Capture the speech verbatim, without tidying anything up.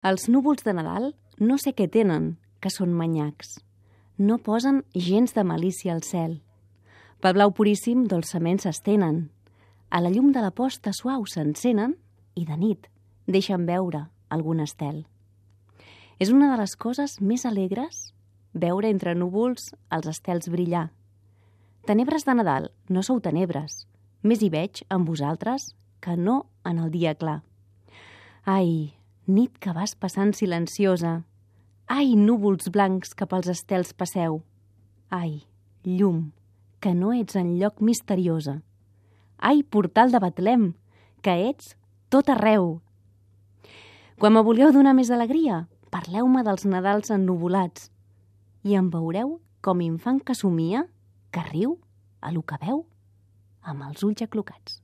Els núvols de Nadal no sé què tenen, que són manyacs. No posen gens de malícia al cel. Pel blau puríssim dolçament s'estenen. A la llum de la posta suau s'encenen i de nit deixen veure algun estel. És una de les coses més alegres veure entre núvols els estels brillar. Tenebres de Nadal, no sou tenebres. Més hi veig en vosaltres que no en el dia clar. Ai, nit que vas passant silenciosa. Ai, núvols blancs que pels estels passeu. Ai, llum, que no ets enlloc misteriosa. Ai, portal de Betlem, que ets tot arreu. Quan me voleu donar més alegria, parleu-me dels Nadals ennuvolats i em veureu com infant que somia, que riu, a lo que veu, amb els ulls aclocats.